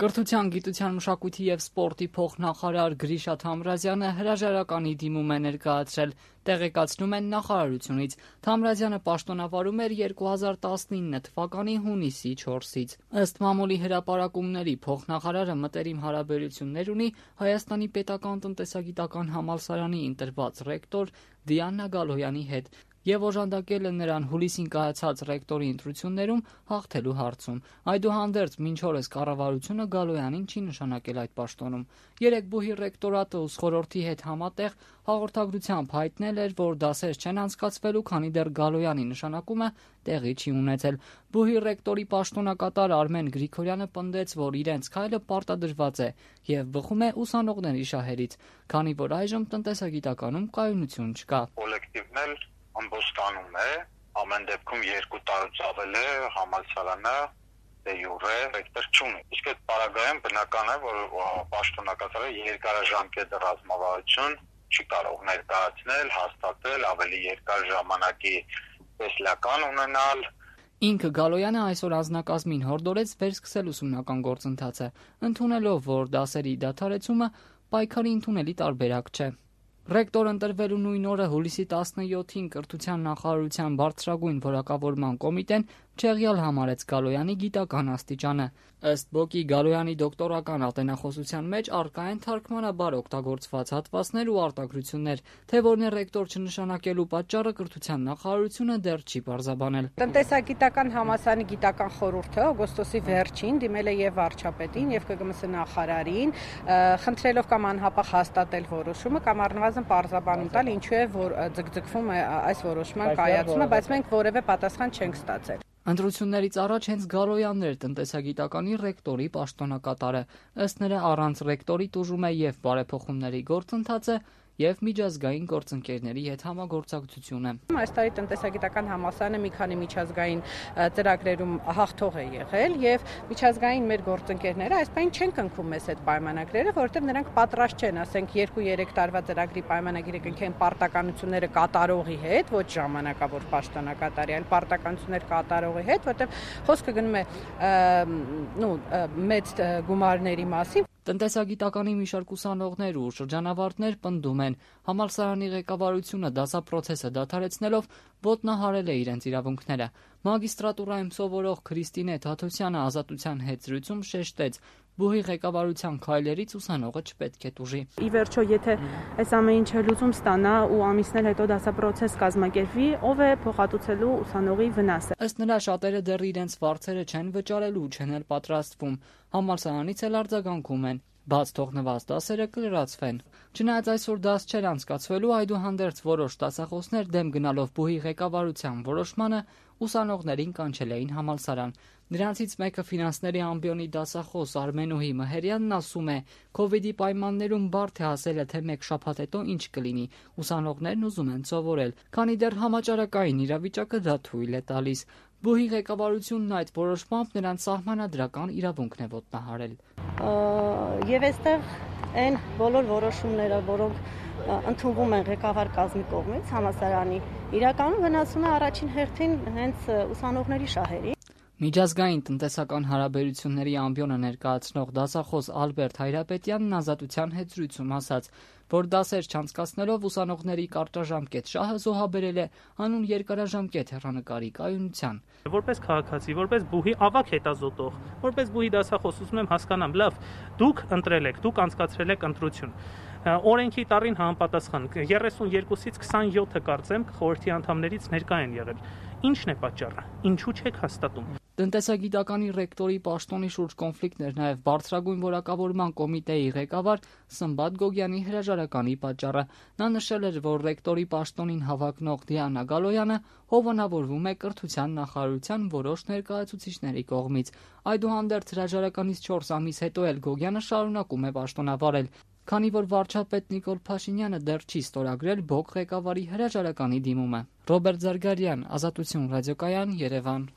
Կրթության, գիտության, մշակույթի և սպորտի փոխնախարար Գրիշա Թամրազյանը հրաժարականի դիմում է ներկայացրել, տեղեկացնում են նախարարությունից։ Թամրազյանը պաշտոնավարում էր 2019 թվականի հունիսի 4-ից։ Ըստ մամուլի հրապարակումների փոխնախարարը մտերիմ հարաբերություններ ունի Հայաստանի պետական տնտեսագիտական համալսարանի ընտրված ռեկտոր Դիանա Գալոյանի հետ և օժանդակել է նրան հուլիսին կայացած ռեկտորի ընտրություններում հաղթելու հարցում։ Այդուհանդերձ մինչ օրս կառավարությունը Գալոյանին չի նշանակել այդ պաշտոնում։ Երեկ բուհի ռեկտորատը ուսխորհրդի հետ համատեղ հաղորդագրությամբ հայտնել էր, որ դասեր չեն անցկացվելու, քանի դեռ Գալոյանի նշանակումը տեղի չի ունեցել։ Բուհի ռեկտորի պաշտոնակատար Արմեն Գրիգորյանը պնդեց, որ իրենց քայլը պարտադրված է և բխում է ուսանողների շահերից, քանի որ այժմ տնտեսագիտականում կայունություն չկա։ Կոլեկտիվն էլ ամբոստանում է, ամեն դեպքում 2 տարուց ավել է համալսարանը դե յուրե ռեկտոր չունի։ Իսկ այդ պարագայում բնական է, որ պաշտոնակատարը երկարաժամկետ ռազմավարություն չի կարող ներկայացնել, հաստատել, ավելի երկար ժամանակի տեսլական ունենալ։ Ինքը Գալոյանը այսօր անձնակազմին հորդորեց վերսկսել ուսումնական գործընթացը, ընդունելով, որ դասերի դադարեցումը պայքարի ընդունելի տարբերակ չէ։ Ռեկտոր ընտրվելու նույն օրը հուլիսի 17-ին կրթության նախարարության բարձրագույն որակավորման կոմիտեն չեղյալ համարեց Գալոյանի գիտական աստիճանը։ Ըստ ԲՕԿ-ի Գալոյանի դոկտորական ատենախոսության մեջ առկա են թարգմանաբար օգտագործված հատվածներ ու արտագրություններ, թե որն է ռեկտոր չնշանակելու պատճառը կրթության նախարարությունը դեռ չի պարզաբանել։ Տնտեսագիտական համալսարանի գիտական խորհուրդը օգոստոսի վերջին դիմել է եւ վարչապետին եւ ԿԳՄՍ նախարարին, խնդրելով կամ անհապաղ հաստատել որոշումը կամ առնվազն պարզաբանում տալ, ինչու է որ ձգձգվում է այս որոշման կայացումը, բայց մենք որևէ պատասխան չենք ստացել։ Ընտրություններից առաջ հենց Գալոյանն էր տնտեսագիտականի ռեկտորի պաշտոնակատարը։ Ըստ նրա առանց ռեկտորի տուժում է եւ բարեփոխումների գործընթացը եւ միջազգային գործընկերների հետ համագործակցությունը։ Այս տարի տնտեսագիտական համալսարանը մի քանի միջազգային ծրագրերում հաղթող է եղել եւ միջազգային մեր գործընկերները այս պայն չեն կնքում մեզ այդ պայմանագրերը, որովհետեւ նրանք պատրաստ չեն, ասենք 2-3 տարվա ծրագրի պայմանագիրը կնքեն պարտականությունները կատարողի հետ, ոչ ժամանակավոր պաշտոնակատարի, այլ պարտականություններ կատարողի հետ, որովհետեւ խոսքը գնում է մեծ գումարների մասին։ Տնտեսագիտականի մի շարք ուսանողներ ու շրջանավարտներ պնդում են, համալսարանի ղեկավարությունը դասապրոցեսը դադարեցնելով ոտնահարել է իրենց իրավունքները։ Մագիստրատուրայում սովորող Քրիստինե Թաթոսյանը Ազատության հետ զրույցում շեշտեց, բուհի ղեկավարության քայլերից ուսանողը չպետք է տուժի։ Ի վերջո, եթե այս ամեն ինչը լուծում ստանա ու ամիսներ հետո դասապրոցես կազմակերպվի, ով է փոխհատուցելու ուսանողի վնասը։ Ըստ նրա շատերը դեռ իրենց վարձերը չեն վճարելու, չեն էլ պատրաստվում։ Համալսարանից էլ արձագանքում են։ Բաց թողնված դասերը կլրացվեն։ Չնայած այսօր դաս չէր անցկացվելու, այդուհանդերձ որոշ դասախոսներ դեմ գնալով բուհի ղեկավարության որոշմանը ուսանողներին կանչել էին համալսարան։ Նրանցից մեկը ֆինանսների ամբիոնի դասախոս Արմենուհի Մհերյանն ասում է, Քովիդի պայմաններում բարդ է ասելը, թե մեկ շաբաթ հետո ինչ կլինի։ Ուսանողներն ուզում են սովորել, քանի դեռ համաճարակային իրավիճակը դա թույլ է տալիս։ Բուհի ղեկավարությունն այդ որոշմամբ նրանց սահմանադրական իրավունքն է ոտնահարել։ Եվ այստեղ այն բոլոր որոշումները, որոնք ընդունվում են ղեկավար կազմի կողմից համալսարանի, իրականում վնասում է առաջին հերթին հենց ուսանողների շահերին։ Միջազգային տնտեսական հարաբերությունների ամբիոնը ներկայացնող դասախոս Ալբերտ Հայրապետյանն Ազատության հետ զրույցում ասաց, որ դասեր չանցկացնելով ուսանողների կարճաժամկետ շահը զոհաբերել է հանուն երկարաժամկետ հեռանկարի կայունության։ Որպես քաղաքացի, որպես բուհի ավագ հետազոտող, որպես բուհի դասախոս ուզում եմ հասկանամ, լավ, դուք ընտրել եք, դուք անցկացրել եք ընտրություն։ Օրենքի տառին համապատասխան 32-ից 27-ը կարծեմ խորհրդի անդամներից ներկա են եղել։ Ինչն է պատճառը։ Ինչու չեք հաստատում։ Տնտեսագիտականի ռեկտորի պաշտոնի շուրջ կոնֆլիկտներ նաև բարձրագույն որակավորման կոմիտեի ղեկավար Սմբատ Գոգյանի հրաժարականի պատճառը։ Նա նշել էր, որ ռեկտորի պաշտոնին հավակնող Դիանա Գալոյանը հովանավորվում է կրթության նախարարության որոշ ներկայացուցիչների կողմից։ Այդուհանդերձ հրաժարականից 4 ամիս հետո էլ Գոգյանը շարունակում է պաշտոնավարել, քանի որ վարչապետ Նիկոլ Փաշինյանը դեռ չի ստորագրել ԲՕԿ ղեկավարի հրաժարականի դիմումը։ Ռոբերտ Զարգարյան, Ազատություն ռադիոկայան, Երևան։